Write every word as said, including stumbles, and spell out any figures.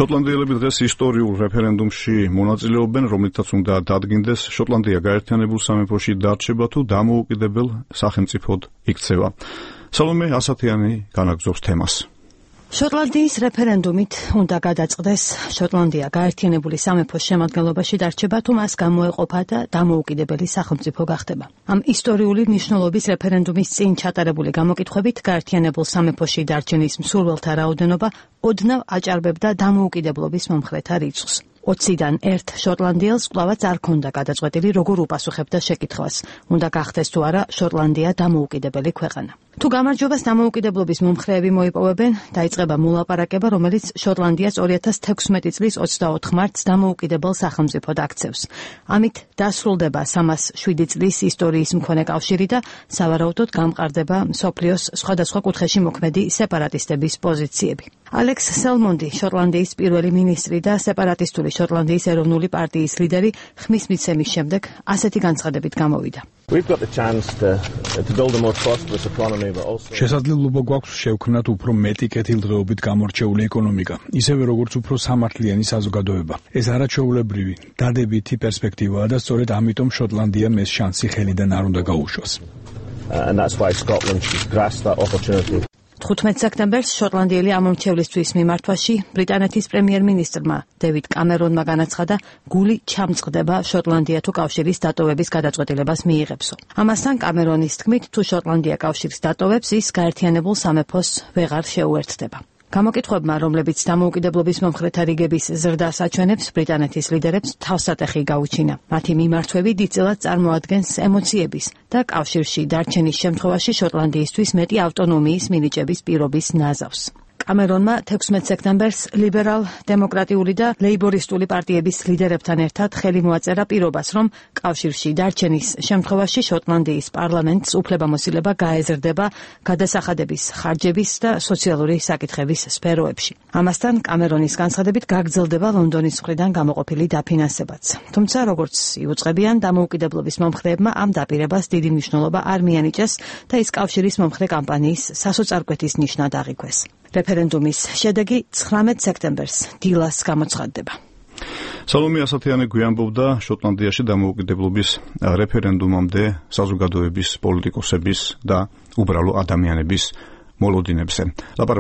შოტლანდიელები დღეს ისტორიულ რეფერენდუმში მონაწილეობენ, რომლითაც უნდა დადგინდეს შოტლანდია გაერთიანებულ სამეფოში დარჩება თუ დამოუკიდებელ სახელმწიფოდ იქცევა. სალომე ასათიანი განაგრძობს თემას. შოტლანდიის რეფერენდუმით უნდა გადაწყდეს შოტლანდია გაერთიანებული სამეფოს შემადგენლობაში დარჩება თუ მას გამოეყოფა და დამოუკიდებელი სახელმწიფო გახდება. ამ ისტორიული მნიშვნელობის რეფერენდუმის წინ ჩატარებული გამოკითხვებით გაერთიანებულ სამეფოში დარჩენის მსურველთა რაოდენობა ოდნავ აჭარბებდა დამოუკიდებლობის მომხრეთა რიცხვს. ოციდან ერთ შოტლანდიელს კვლავაც არ ქონდა გადაწყვეტილი, როგორ უპასუხებდა შეკითხვას, უნდა გახდეს თუ არა შოტლანდია დამოუკიდებელი ქვეყანა. თუ გამარჯვებას დამოუკიდებლობის მომხრეები მოიპოვებენ, დაიწყება მოლაპარაკება, რომელიც შოტლანდიას ორი ათას თექვსმეტი წლის ოცდაოთხ მარტს დამოუკიდებელ სახელმწიფოდ აქცევს. ამით დასრულდება სამას შვიდი წლის ისტორიის მქონე კავშირი და სავარაუდოდ გამყარდება მსოფლიოს სხვადასხვა კუთხეში მოქმედი სეპარატისტების პოზიციები. ალექს სელმონდი, შოტლანდიის პირველი მინისტრი და სეპარატისტული შოტლანდიის ეროვნული პარტიის ლიდერი, ხმის მიცემის შემდეგ ასეთი განცხადებით გამოვიდა. შესაძლებლობა გვაქვს შევქმნათ უფრო მეტი კეთილდღეობით გამორჩეული ეკონომიკა, ისევე როგორც უფრო სამართლიანი საზოგადოება. ეს არაჩვეულებრივი, დადებითი პერსპექტივაა და სწორედ ამიტომ შოტლანდიამ ეს შანსი ხელიდან არ უნდა გაუშვას. თხუთმეტ სექტემბერს შოტლანდიელი ამომრჩევლისთვის მიმართვაში ბრიტანეთის პრემიერ-მინისტრმა დევიდ კამერონმა განაცხადა, გული ჩამწყდება შოტლანდია თუ კავშირის დატოვების გადაწყვეტილებას მიიღებსო. ამასთან კამერონის თქმით, თუ შოტლანდია კავშირს დატოვებს, ის გაერთიანებულ სამეფოს ვეღარ შეუერთდება. გამოკითხვებმა, რომლებიც დამოუკიდებლობის მომხრეთა რიგების ზრდას აჩვენებს, ბრიტანეთის ლიდერებს თავსატეხი გაუჩინა. მათი მიმართვები დიდწილად წარმოადგენს ემოციების და კავშირში დარჩენის შემთხვევაში შოტლანდიისთვის მეტი ავტონომიის მინიჭების პირობის ნაზავს. კამერონმა თექვსმეტ სექტემბერს ლიბერალ-დემოკრატიული და ლეიბორისტული პარტიების ლიდერებთან ერთად ხელი მოაწერა პირობას, რომ კავშირში დარჩენის შემთხვევაში შოტლანდიის პარლამენტს უფლებამოსილება გაეზრდება გადასახადების, ხარჯების და სოციალური საკითხების სფეროებში. ამასთან კამერონის განცხადებით გაგრძელდება ლონდონის მხრიდან გამოყოფილი დაფინანსებაც. თუმცა, როგორც იუწყებიან, დამოუკიდებლობის მომხრეებმა ამ დაპირებას დიდი მნიშვნელობა არ მიანიჭეს და ის კავშირის მომხრე კამპანიის სასოწარკვეთის ნიშნად აღიქვეს. რეფერენდუმის შედეგი ცხრამეტ სექტემბერს დილას გამოცხადდება. სალომე ასათიანი გვიანბობდა შოტლანდიაში დამოუკიდებლობის რეფერენდუმამდე საზოგადოების, პოლიტიკოსების და უბრალო ადამიანების მოლოდინებზე.